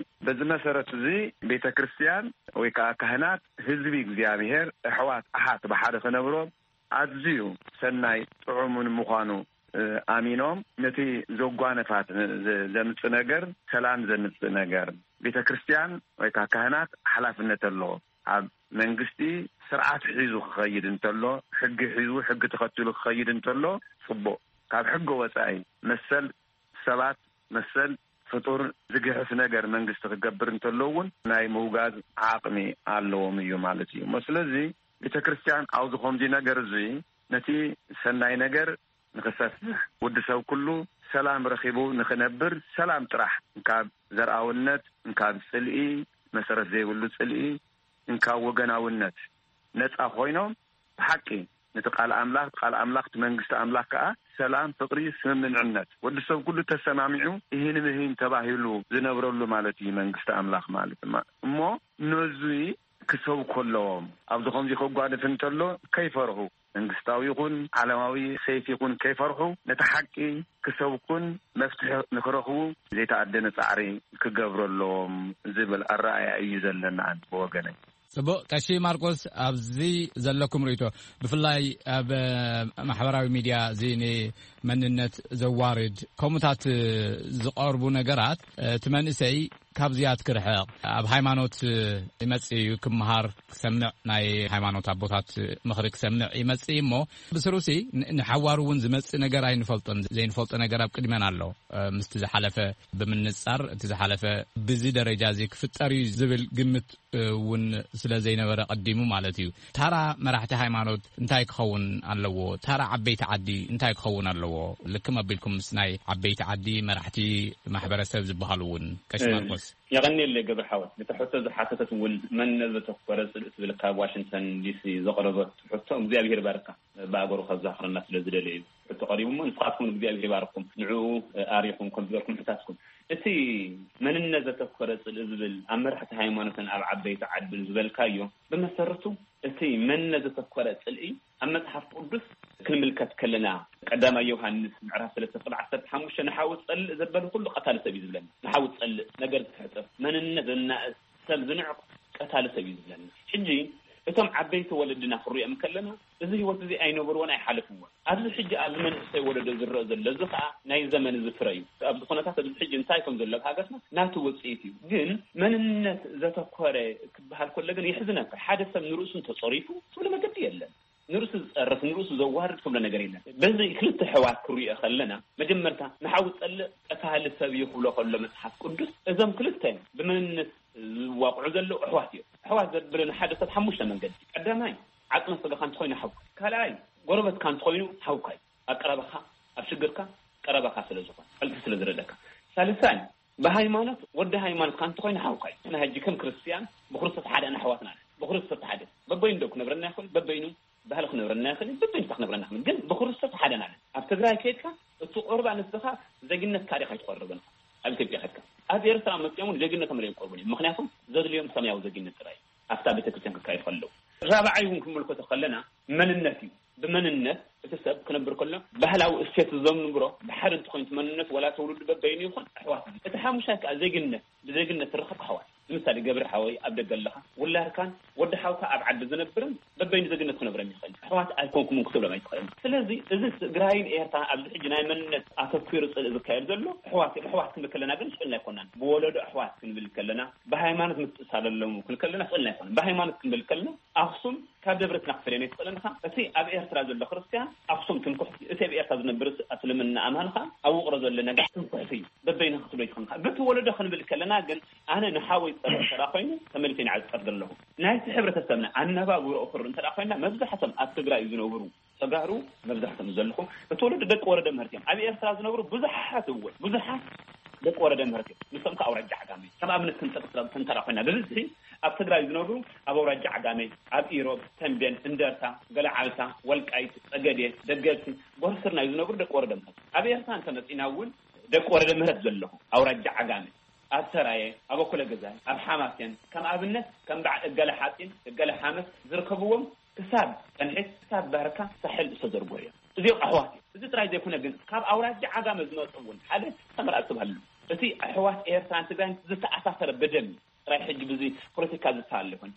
በዚ መሰረት እዚ ቤተ ክርስቲያን ወይ ከዓ ካህናት ህዝቢ እግዚኣብሔር ኣሕዋት ኣሓት ብሓደ ክነብሮም ኣዝዩ ሰናይ ጥዑምን ምዃኑ፣ እ፣ ኣሚኖም ነቲ ዘጓነፋት ን-፣ ዘ-፣ ዘምጽእ ነገር ሰላም ዘምጽእ ነገር ቤተ ክርስቲያን ወይ ከዓ ካህናት ሓላፍነት ኣለዎ። ኣብ መንግስቲ ስርዓት ሒዙ ክኸይድ እንተሎ፣ ሕጊ ሒዙ፣ ሕጊ ተኸቲሉ ክኸይድ እንተሎ ጽቡቕ። ካብ ሕጊ ወጻኢ መሰል ሰባት፣ መሰል ፍጡር ዝግሕፍ ነገር መንግስቲ ክገብር እንተሎ እውን ናይ ምውጋዝ ዓቕሚ ኣለዎም እዩ ማለት እዩ እሞ። ስለዚ ቤተ ክርስቲያን ኣብዚ ከምዚ ነገር እዚ ነቲ ሰናይ ነገር ንኽሰፍሕ፣ ወዲ ሰብ ኩሉ ሰላም ረኺቡ ንኽነብር፣ ሰላም ጥራሕ፣ እንካብ ዘርኣውነት፣ እንካብ ጽልኢ፣ መሰረት ዘይብሉ ጽልኢ፣ እንካብ ወገናውነት ነጻ ኮይኖም ብሓቂ ነቲ ቃል ኣምላኽ፣ ቃል ኣምላኽ፣ እቲ መንግስቲ ኣምላኽ ከኣ ሰላም፣ ፍቕሪ፣ ስምምዕነት፣ ወዲ ሰብ ኩሉ ተሰማሚዑ እሂን ምሂን ተባሂሉ ዝነብረሉ ማለት እዩ መንግስቲ ኣምላኽ ማለት ድማ። እሞ ነዙይ ክሰብኩ ኣለዎም። ኣብዚ ከምዚ ከጓንፍ እንተሎ ከይፈርሁ፣ መንግስታዊ ይኹን ዓለማዊ ሰይፊ ይኹን ከይፈርሑ፣ ነቲ ሓቂ ክሰብኩን መፍትሒ ንክረኽቡ ዘይተኣደነ ጻዕሪ ክገብሩ ኣለዎም ዝብል ኣረኣእያ እዩ ዘለና ብወገነይ። ጽቡቕ፣ ቀሺ ማርቆስ፣ ኣብዚ ዘለኩም ርእይቶ፣ ብፍላይ ኣብ፣ እ፣ ማሕበራዊ ሚድያ እዚ ንመንነት ዘዋርድ ከምኡታት ዝቐርቡ ነገራት፣ እ፣ እቲ መንእሰይ ካብዚኣት ክርሕቕ፣ ኣብ ሃይማኖት ይመጽእ እዩ፣ ክመሃር፣ ክሰምዕ፣ ናይ ሃይማኖት ኣቦታት ምኽሪ ክሰምዕ ይመጽእ እዩ እሞ፣ ብስሩሲ ን-፣ ንሓዋሩ እውን ዝመጽእ ነገር ኣይንፈልጦን። ዘይንፈልጦ ነገር ኣብ ቅድመና ኣሎ። እ፣ ምስቲ ዝሓለፈ ብምንጻር፣ እቲ ዝሓለፈ ብዚ ደረጃ እዚ ክፍጠር እዩ ዝብል ግምት እውን ስለ ዘይነበረ ቀዲሙ ማለት እዩ። ታራ መራሕቲ ሃይማኖት እንታይ ክኸውን ኣለዎ? ታራ ዓበይቲ ዓዲ እንታይ ክኸውን ኣለዎ? ልክም ኣቢልኩም ምስ ናይ ዓበይቲ ዓዲ መራሕቲ ማሕበረሰብ ዝበሃሉ እውን፣ ቀሺ እ፣ ማርቆስ። የቐንየለይ ገብረ ሓወት። ነታ ሕቶ ዝሓተተት እውን መን ዘተኮረ ጽልኢ ትብል ካብ ዋሽንግተን ዲሲ ዘቕረበት ሕቶ እግዚኣብሔር ይባርካ። ብኣገሩ ከዛኽረና ስለ ዝደለየ እዩ። ሕቶ ቀሪቡ እሞ ንስኻትኩም እግዚኣብሔር ይባርኩም። ንዕኡ ኣሪኹም ከም ዝበልኩም ሕታትኩም። እቲ መንነት ዘተኮረ ጽልኢ ዝብል ኣብ መራሕቲ ሃይማኖትን ኣብ ዓበይቲ ዓድን ዝበልካዮ፣ ብመሰረቱ እቲ መንነት ዘተኮረ ጽልኢ ኣብ መጽሓፍ ቅዱስ ክንምልከት ከለና፣ ቀዳማይ ዮሃንስ ምዕራፍ ሰለስተ ቁጥሪ ዓሰርተ ሓሙሽተ፣ "ንሓው ጸልእ ዘበለ ኩሉ ቀታሊ ሰብ እዩ" ዝብለና። ንሓው ጸልእ፣ ነገር ዝሕጥር፣ መንነት ዘናእስ፣ ሰብ ዝንዕቕ፣ ቀታሊ ሰብ እዩ ዝብለና። ሕጂ እቶም ዓበይቲ ወለድና ክንሪኦም ከለና፣ እዚ ህይወት እዚ ኣይነበርዎን ኣይሓለፍዎን። ኣብዚ ሕጂ ኣብዚ መንእሰይ ወለዶ ዝረአ ዘሎ፣ እዚ ኸኣ ናይ ዘመን እዚ ፍረ እዩ። ኣብዚ ኩነታት ኣብዚ ሕጂ እንታይ ከም ዘሎ ኣብ ሃገርና ናቱ ውጽኢት እዩ። ግን መንነት ዘተኮረ ክበሃል ከሎ ግን የሕዝነካ። ሓደ ሰብ ንርእሱ እንተጸሪፉ ትብሎ መገዲ የለን። ንርእሱ ዝጸርፍ፣ ንርእሱ ዘዋርድ ትብሎ ነገር የለን። በዚ ክልተ ኣሕዋት ክሪኦ ከለና፣ መጀመርታ ንሓው ዝጸልእ ቀታሊ ሰብ እዩ ክብሎ ከሎ መጽሓፍ ቅዱስ፣ እዞም ክልተ ብመንነት ዝዋቕዑ ዘለዉ ኣሕዋት እዮም። ኣሕዋት ዘብለና ሓደ ሰብ ሓሙሽተ መንገዲ። ቀዳማይ፣ ዓጽመ ስጋኻ እንተኾይኑ ሓውካ እዩ። ካልኣይ፣ ጎረበትካ እንተኾይኑ ሓውካ እዩ። ኣብ ቀረባኻ፣ ኣብ ሽግርካ ቀረባኻ ስለ ዝኾነ፣ ፈልሲ ስለ ዝረደካ። ሳልሳይ፣ ብሃይማኖት ወዲ ሃይማኖትካ እንተኾይኑ ሓውካ እዩ። ንሕና ሕጂ ከም ክርስትያን ብክርስቶስ ሓደ ኢና፣ ኣሕዋትና ኢና። ብክርስቶስ ሓደ። በበይኑ ዶ ክነብረና ይኽእል? በበይኑ ባህሊ ክነብረና ይኽእል? በበይኑ ክነብረና ይኽእል? ግን ብክርስቶስ ሓደ ኢና። ኣብ ትግራይ ከይድካ እቲ ቁርባ ንስኻ ዜግነትካ ዲኻ ኣይትቆርብን ኢኻ። ኣብ ኢትዮጵያ ከድካ። ኣብ ኤርትራ መጺኦም እውን ዜግነቶም ኣይቆርቡን እዮም። ምኽንያቱ ዘድልዮም ሰማያዊ ዜግነት ጥራይ እዩ። ኣብታ ቤተክርስትያን ክካየድ ከለዉ። ራብዓይ እውን ክንምልከቶ ከለና መንነት እዩ። ብመንነት እቲ ሰብ ክነብር ከሎ ባህላዊ እሴት ዘምንብሮ ብሓደ እንተኾይኑ እቲ መንነት ዋላ ትውልዱ በበይኑ ይኹን ኣሕዋት እዩ። እቲ ሓሙሻይ ከኣ ዜግነት፣ ብዜግነት ትረኸብ ኣሕዋት። ንምሳሌ ገብሪ ሓወይ ኣብ ደገ ኣለኻ፣ ውላድካን ወዲ ሓውካ ኣብ ዓዲ ዝነብርን በበይኑ ዜግነት ክነብረን ይኽእል። ኣሕዋት ኣይኮንኩምን ክትብሎም ኣይትኽእልን። ስለዚ እዚ ትግራይን ኤርትራን ኣብዚ ሕጂ ናይ መንነት ኣተኲሩ ጽልኢ ዝካየድ ዘሎ ኣሕዋት እዩ። ኣሕዋት ክንብል ከለና ግን ስእልና ኣይኮናን። ብወለዶ ኣሕዋት ክንብል ከለና፣ ብሃይማኖት ምትእሳር ኣለዎም ክንብል ከለና ስእልና ኣይኮናን። ብሃይማኖት ክንብል ከለና ኣኽሱም ካብ ደብረ ሲና ክትፈልየን ኣይትኽእልን ኢኻ። እቲ ኣብ ኤርትራ ዘሎ ክርስትያን ኣኽሱም ትምክሕቲ እዩ። እቲ ኣብ ኤርትራ ዝነብር እስልምና ኣማን ኸኣ ኣብ ውቕሮ ዘሎ ነጋሽ ትምክሕቲ እዩ። በበይንኻ ክትብሎ ኣይትኽእልን ኢኻ። በቲ ወለዶ ክንብል ከለና ግን ኣነ ንሓወይ ዝጸልእ እንተ ደኣ ኾይኑ ተመሊሰ ንዓይ ዝጸርግ ኣለኹ። ናይቲ ሕብረተሰብና ኣነባብርኦ ክርኢ እንተ ደኣ ኾይና መብዛሕቶም ኣብ ትግራይ ዝነብሩ ተጋሩ መብዛሕቶም ዘለኹ እቲ ወለዶ ደቂ ወረደ ምህርቲ እዮም። ኣብ ኤርትራ ዝነብሩ ብዙሓት እወ ብዙሓት ደቂ ወረደ ምህርቲ እዮም። ንሶም ከ ኣውራጃ ዓጋመ ከም ኣብነት ክንጠቅስ እንተ ደኣ ኮይና ብብዝሒ ኣብ ትግራይ ዝነብሩ ኣብ ኣውራጃ ዓጋመ፣ ኣብ ኢሮብ፣ ተንቤን፣ እንደርታ፣ ገለዓልታ፣ ወልቃይት፣ ጸገዴ፣ ደገፍቲ፣ ጎርፍርና እዩ ዝነብሩ ደቂ ወረደ ምህረት። ኣብ ኤርትራ እንተመጺና እውን ደቂ ወረደ ምህረት ዘለኹ ኣውራጃ ዓጋመ ኣብ ሰራየ፣ ኣብ ኣኮለ ገዛይ፣ ኣብ ሓማሴን ከም ኣብነት ከም በዓል እገለ ሓጺን እገለ ሓመስ ዝርከብዎም ክሳብ ጸንሒት ክሳብ ባርካ ሳሕል ዝተዘርግሑ እዮም። እዚኦም ኣሕዋት እዮም። እዚ ጥራይ ዘይኮነ ግን ካብ ኣውራጃ ዓጋመ ዝመጹ እውን ሓደ ሰመር ኣጽብሃሉ እቲ ኣሕዋት ኤርትራን ትግራይን ዝተኣሳሰረ ብደም እዩ። ጥራይ ሕጂ ብዚ ፖለቲካ ዝተሃለ ይኮን።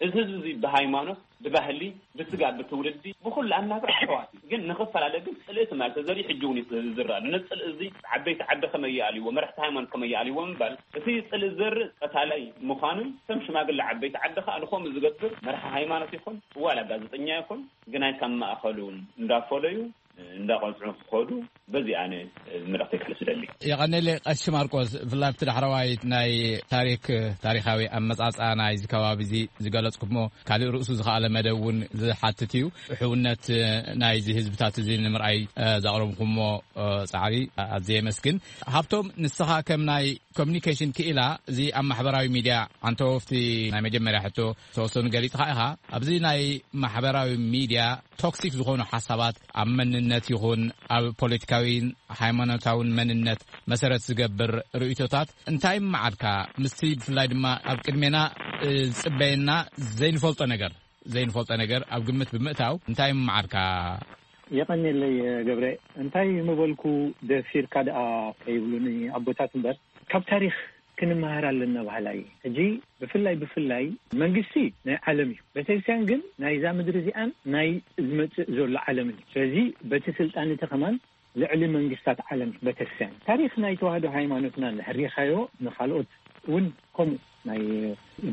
እዚ ህዝቢ እዚ ብሃይማኖት፣ ብባህሊ፣ ብስጋ፣ ብትውልዲ፣ ብኩሉ ኣናብራ ኣሕዋት እዩ። ግን ንኽፈላለ ግን ጽልኢ ትማል ተዘሪኡ ሕጂ እውን እዩ ዝረኣ። ነዚ ጽልኢ እዚ ዓበይቲ ዓዲ ከመይ ይኣልይዎ፣ መራሕቲ ሃይማኖት ከመይ ይኣልይዎ ምባል እቲ ጽልኢ ዝዘርእ ቀታላይ ምዃኑን እቶም ሽማግለ ዓበይቲ ዓዲ ከኣ ንኸምኡ ዝገብር መራሒ ሃይማኖት ይኹን ዋላ ጋዜጠኛ ይኹን ግናይ ካብ ማእኸሉ እንዳፈለዩ እንዳቐጽዑ ክኸዱ በዚ ኣነ መልእኽተይ ከሕልፍ እደሊ። የቐነለ ቀሺ ማርቆስ፣ ብፍላይ ኣብቲ ዳሕረዋይ ናይ ታሪክ፣ ታሪኻዊ ኣመጻጽኣ ናይዚ ከባቢ እዚ ዝገለጽኩሞ ካልእ ርእሱ ዝኸኣለ መደብ እውን ዝሓትት እዩ። ሕውነት ናይዚ ህዝብታት እዚ ንምርኣይ ዘቕረብኩሞ ጻዕሪ ኣዝየ የመስግን። ሃብቶም፣ ንስኻ ከም ናይ ኮሚኒኬሽን ክኢላ እዚ ኣብ ማሕበራዊ ሚድያ ዓንተወፍቲ ናይ መጀመርያ ሕቶ ዝተወሰኑ ገሊጽኻ ኢኻ። ኣብዚ ናይ ማሕበራዊ ሚድያ ቶክሲክ ዝኾኑ ሓሳባት ኣብ መንነት ይኹን ኣብ ፖለቲካዊን ሃይማኖታውን መንነት መሰረት ዝገብር ርእይቶታት እንታይ ይመዓልካ? ምስቲ ብፍላይ ድማ ኣብ ቅድሜና ዝጽበየና ዘይንፈልጦ ነገር ዘይንፈልጦ ነገር ኣብ ግምት ብምእታው እንታይ ይመዓልካ? የቐንየለይ ገብረ። እንታይ ምበልኩ ደፊርካ ደኣ ከይብሉኒ ኣቦታት እምበር ካብ ታሪኽ ክንመሃር ኣለና በሃላይ። ሕጂ ብፍላይ ብፍላይ መንግስቲ ናይ ዓለም እዩ፣ ቤተክርስትያን ግን ናይዛ ምድሪ እዚኣን ናይ ዝመጽእ ዘሎ ዓለምን እዩ። ስለዚ በቲ ስልጣን እቲ ከማን ልዕሊ መንግስታት ዓለም እዩ ቤተክርስትያን። ታሪኽ ናይ ተዋህዶ ሃይማኖትና እንድሕር ሪኢኻዮ ንኻልኦት እውን ከምኡ ናይ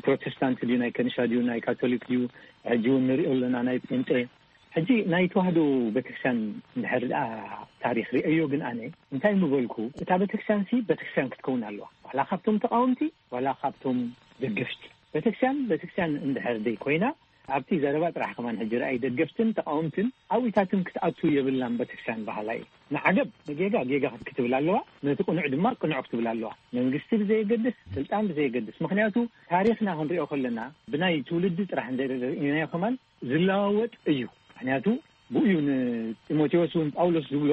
ፕሮቴስታንት ድዩ ናይ ከንሻ ድዩ ናይ ካቶሊክ ድዩ ሕጂ እውን ንሪኦ ኣለና ናይ ጴንጤ ሕጂ ናይ ተዋህዶ ቤተክርስትያን እንድሕር ደኣ ታሪኽ ሪአዮ ግን ኣነ እንታይ ምበልኩ እታ ቤተክርስትያን ሲ ቤተክርስትያን ክትከውን ኣለዋ ዋላ ካብቶም ተቃወምቲ ዋላ ካብቶም ደገፍቲ ቤተክርስትያን ቤተክርስትያን እንድሕር ደይ ኮይና ኣብቲ ዘረባ ጥራሕ ከማን ሕጂ ረኣይ ደገፍትን ተቃወምትን ኣብኢታትን ክትኣቱ የብላን ቤተክርስትያን በሃላይ ንዓገብ ንጌጋ ጌጋ ክትብል ኣለዋ ነቲ ቅኑዕ ድማ ቅኑዕ ክትብል ኣለዋ መንግስቲ ብዘየገድስ ስልጣን ብዘየገድስ ምክንያቱ ታሪኽና ክንሪኦ ከለና ብናይ ትውልዲ ጥራሕ እንተኢናዮ ከማን ዝለዋወጥ እዩ። ምክንያቱ ብኡዩ ንጢሞቴዎስ እውን ጳውሎስ ዝብሎ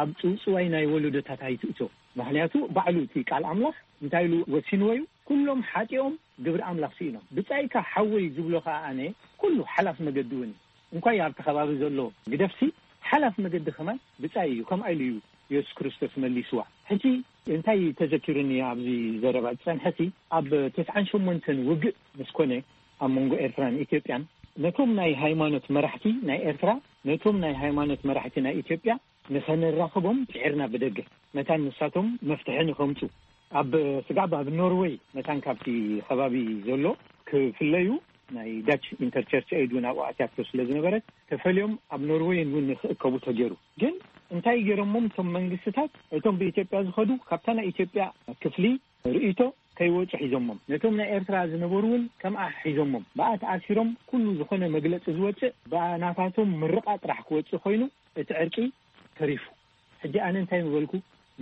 ኣብ ጽውጽዋይ ናይ ወለዶታት ኣይትእቶ። ምክንያቱ ባዕሉ እቲ ቃል ኣምላኽ እንታይ ኢሉ ወሲንዎ እዩ? ኩሎም ሓጢኦም ግብሪ ኣምላኽ ስኢኖም። ብጻይካ ሓወይ ዝብሎ ከኣ ኣነ ኩሉ ሓላፍ መገዲ እውን እዩ። እንኳይ ኣብቲ ከባቢ ዘሎ ግደፍሲ ሓላፍ መገዲ ከማን ብጻይ እዩ። ከምኣ ኢሉ እዩ የሱስ ክርስቶስ መሊስዋ። ሕጂ እንታይ ተዘኪሩኒ ኣብዚ ዘረባ ዝጸንሐቲ ኣብ ተስዓን ሸሞንተን ውግእ ምስ ኮነ ኣብ መንጎ ኤርትራን ኢትዮጵያን ነቶም ናይ ሃይማኖት መራሕቲ ናይ ኤርትራ ነቶም ናይ ሃይማኖት መራሕቲ ናይ ኢትዮጵያ ንኸነራኽቦም ጽዒርና ብደገ መታን ንሳቶም መፍትሒ ንኸምጹ ኣብ ስጋብ ኣብ ኖርወይ መታን ካብቲ ከባቢ ዘሎ ክፍለዩ ናይ ዳች ኢንተርቸርች ኤድ እውን ኣብኡ ኣትያቶ ስለ ዝነበረት ተፈልዮም ኣብ ኖርወይን እውን ንክእከቡ ተገይሩ። ግን እንታይ ገይሮሞም እቶም መንግስትታት እቶም ብኢትዮጵያ ዝኸዱ ካብታ ናይ ኢትዮጵያ ክፍሊ ርእይቶ ከይወጹ ሒዞሞም ነቶም ናይ ኤርትራ ዝነበሩ እውን ከምኣ ሒዞሞም ብኣ ተኣሲሮም ኩሉ ዝኾነ መግለጺ ዝወጽእ ብናታቶም ምርቓ ጥራሕ ክወጽእ ኮይኑ እቲ ዕርቂ ተሪፉ። ሕጂ ኣነ እንታይ ምበልኩ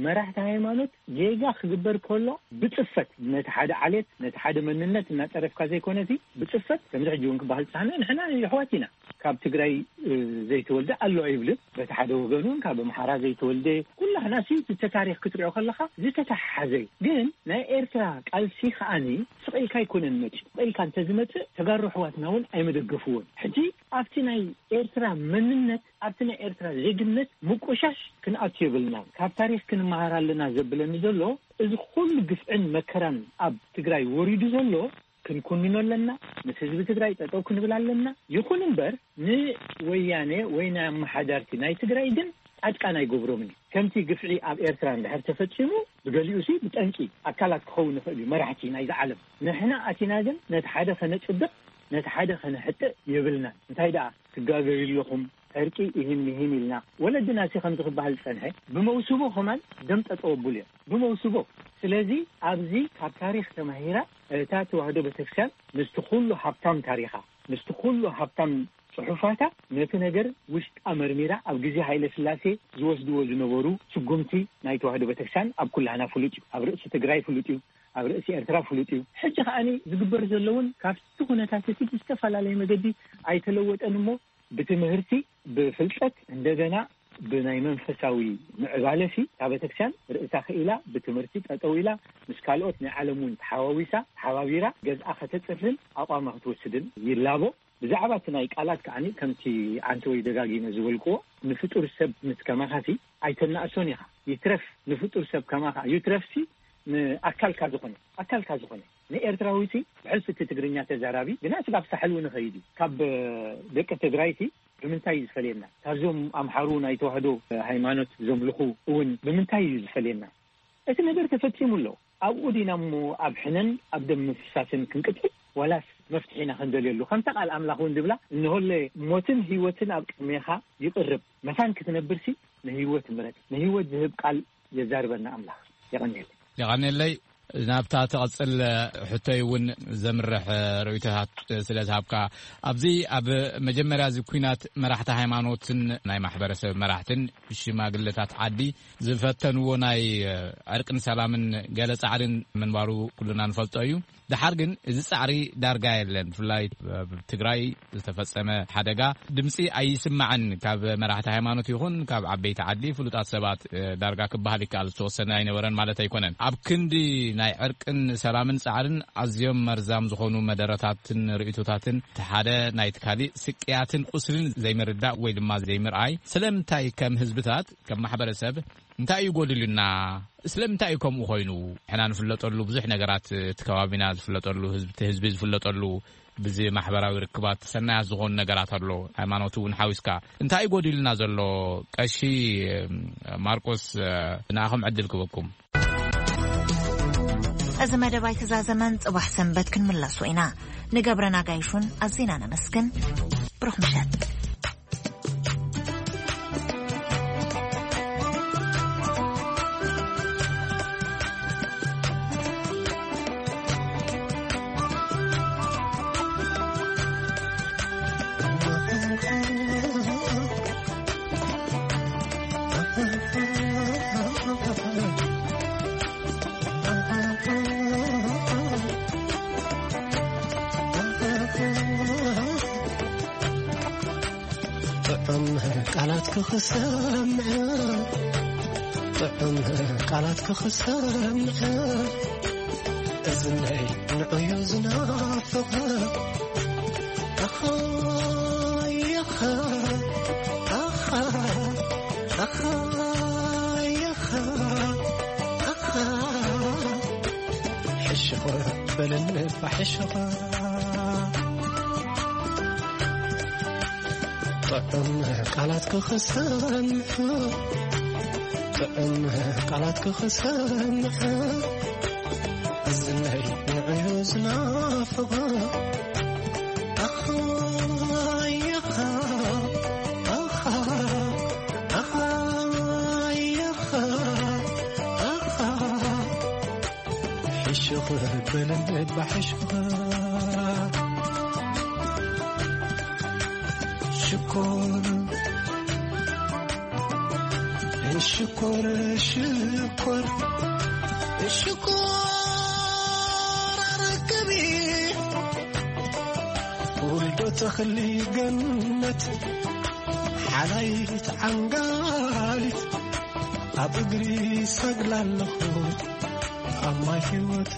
መራሕቲ ሃይማኖት ጌጋ ክግበር ከሎ ብጽፈት ነቲ ሓደ ዓሌት ነቲ ሓደ መንነት እናጸረፍካ ዘይኮነሲ ብጽፈት ከምዚ ሕጂ እውን ክበሃል ዝጸሓና ንሕና የሕዋት ኢና ካብ ትግራይ፣ እ፣ ዘይተወልደ ኣሎ ኣይብልን። በቲ ሓደ ወገን እውን ካብ ኣምሓራ ዘይተወልደ፣ ኩላህና ሲ እቲ ታሪኽ ክትሪኦ ከለኻ ዝተተሓሓዘ እዩ። ግን ናይ ኤርትራ ቃልሲ ከዓኒ ስቕ ኢልካ ኣይኮነን መፂኡ። ስቕ ኢልካ እንተዝመፅእ ተጋሩ ኣሕዋትና እውን ኣይመደገፍዎን። ሕጂ ኣብቲ ናይ ኤርትራ መንነት፣ ኣብቲ ናይ ኤርትራ ዜግነት ምቁሻሽ ክንኣቱ የብልና። ካብ ታሪኽ ክንመሃር ኣለና ዘብለኒ ዘሎ፣ እዚ ኩሉ ግፍዕን መከራን ኣብ ትግራይ ወሪዱ ዘሎ ክንኩንኖ ኣለና። ምስ ህዝቢ ትግራይ ጠጠው ክንብል ኣለና። ይኹን እምበር ንወያኔ ወይ ናይ ኣመሓዳርቲ ናይ ትግራይ ግን ጻድቃን ኣይገብሮምን እዩ። ከምቲ ግፍዒ ኣብ ኤርትራ እንድሕር ተፈጺሙ፣ ብገሊኡ ሲ ብጠንቂ ኣካላት ክኸውን ይኽእል እዩ፣ መራሕቲ ናይዚ ዓለም። ንሕና ኣቲና ግን ነቲ ሓደ ከነጽድቕ፣ ነቲ ሓደ ከነሕጥእ የብልናን። እንታይ ደኣ ትጋገዩ ኣለኹም፣ ዕርቂ ይህን ይህን ኢልና፣ ወለድና ሲ ከምዚ ክበሃል ዝጸንሐ፣ ብመውስቦ ከማን ደም ጠጠው ኣብሉ እዮም። ብመውስቦ። ስለዚ ኣብዚ ካብ ታሪኽ ተማሂራ እታ ተዋህዶ ቤተክርስትያን ምስቲ ኩሉ ሃብታም ታሪኻ፣ ምስቲ ኩሉ ሃብታም ጽሑፋታ፣ ነቲ ነገር ውሽጣ መርሚራ፣ ኣብ ግዜ ሃይለ ስላሴ ዝወስድዎ ዝነበሩ ስጉምቲ ናይ ተዋህዶ ቤተክርስትያን ኣብ ኩላህና ፍሉጥ እዩ። ኣብ ርእሲ ትግራይ ፍሉጥ እዩ። ኣብ ርእሲ ኤርትራ ፍሉጥ እዩ። ሕጂ ከዓኒ ዝግበር ዘለውን ካብቲ ኩነታት እቲ ብዝተፈላለየ መገዲ ኣይተለወጠን እሞ፣ ብትምህርቲ፣ ብፍልጠት፣ እንደገና ብናይ መንፈሳዊ ምዕባለሲ እታ ቤተክርስትያን ርእሳ ክኢላ ብትምህርቲ ጠጠው ኢላ፣ ምስ ካልኦት ናይ ዓለም እውን ተሓዋዊሳ፣ ተሓባቢራ ገዝኣ ከተጽርን ኣቋማ ክትወስድን ይላቦ። ብዛዕባ እቲ ናይ ቃላት ከዓኒ ከምቲ ኣንተ ወይ ደጋጊመ ዝበልክዎ፣ ንፍጡር ሰብ ምስ ከማኻሲ ኣይተናእሶን ኢኻ። ይትረፍ ንፍጡር ሰብ ከማኻ፣ ይትረፍሲ ንኣካልካ ዝኾነ፣ ኣካልካ ዝኾነ ንኤርትራዊሲ ብሕልፊ እቲ ትግርኛ ተዛራቢ ግና ስጋብ ሳሕል እውን ይኸይድ እዩ። ካብ ደቂ ትግራይቲ ብምንታይ እዩ ዝፈልየና? ካብዞም ኣምሓሩ ናይ ተዋህዶ ሃይማኖት ዘምልኹ እውን ብምንታይ እዩ ዝፈልየና? እቲ ነገር ተፈጺሙ ኣሎ። ኣብኡ ዲና እሞ ኣብ ሕነን ኣብ ደም ምፍሳስን ክንቅጽል? ዋላስ መፍትሒ ኢና ክንደልየሉ? ከምታ ቃል ኣምላኽ እውን ድብላ፣ "እንሆለ ሞትን ህይወትን ኣብ ቅድሜኻ ይቕርብ፣ መታን ክትነብርሲ ንህይወት ምረጽ። ንህይወት ዝህብ ቃል የዛርበና ኣምላኽ." የቐንየለይ። የቐንየለይ። ናብታ ትቐጽል ሕቶይ እውን ዘምርሕ ርእይቶታት ስለ ዝሃብካ፣ ኣብዚ ኣብ መጀመርያ እዚ ኲናት መራሕቲ ሃይማኖትን ናይ ማሕበረሰብ መራሕትን ሽማግለታት ዓዲ ዝፈተንዎ ናይ ዕርቅን ሰላምን ገለ ጻዕርን ምንባሩ ኩልና ንፈልጦ እዩ። ደሓር ግን እዚ ጻዕሪ ዳርጋ የለን። ብፍላይ ኣብ ትግራይ ዝተፈጸመ ሓደጋ ድምጺ ኣይስማዕን። ካብ መራሕቲ ሃይማኖት ይኹን ካብ ዓበይቲ ዓዲ ፍሉጣት ሰባት፣ እ፣ ዳርጋ ክበሃል ይከኣል፣ ዝተወሰነ ኣይነበረን ማለት ኣይኮነን። ኣብ ክንዲ ናይ ዕርቅን ሰላምን ጻዕርን ኣዝዮም መርዛም ዝኾኑ መደረታትን ርእይቶታትን፣ እቲ ሓደ ናይቲ ካሊእ ስቅያትን ቁስልን ዘይምርዳእ ወይ ድማ ዘይምርኣይ፣ ስለምንታይ ከም ህዝብታት፣ ከም ማሕበረሰብ እንታይ እዩ ጎዲሉና? ስለምንታይ እዩ ከምኡ ኮይኑ? ሕና ንፍለጠሉ ብዙሕ ነገራት፣ እቲ ከባቢና ዝፍለጠሉ፣ ህዝቢ፣ እቲ ህዝቢ ዝፍለጠሉ፣ ብዚ ማሕበራዊ ርክባት ሰናያት ዝኾኑ ነገራት ኣሎ፣ ሃይማኖት እውን ሓዊስካ። እንታይ እዩ ጎዲሉና ዘሎ? ቀሺ ማርቆስ፣ ንኣኹም ዕድል ክበኩም። እዚ መደብ ኣይተዛዘመን፣ ጽባሕ ሰንበት ክንምለሶ ኢና። ንገብረ ናጋይሹን ኣዚና ነመስግን። ብሩኽ ምሸት። ጥዑም ቃላት ክኽሰምዕ፣ ጥዑም ቃላት ክኽሰምዕ፣ እዝነይ ንዑዩ ዝናፍቕ። ኣኻ የኻ፣ ኣኻ፣ ኣኻ የኻ፣ ኣኻ። ሕሽኽ በለኒ እባ ሕሽኽ። ጥዑም ቃላት ክኽሰምዕ፣ ጥዑም ቃላት ክኽሰምዕ፣ እዝነይ ንዕዩ ዝናፍቕ። ኣኻ የኻ፣ ኣኻ፣ ኣኻ የኻ፣ ኣኻ። ሕሽኽ በለኒ እባ ሕሽኽ። ሽኮር፣ ሽኮር፣ ሽኮር፣ ሽኮር ኣረክቢ። ዶ ተኽሊ ገነት ሓላይት ዓንጋሊት ኣብ እግሪ ሰግላ ኣለኹ ኣብ ማይ ህይወት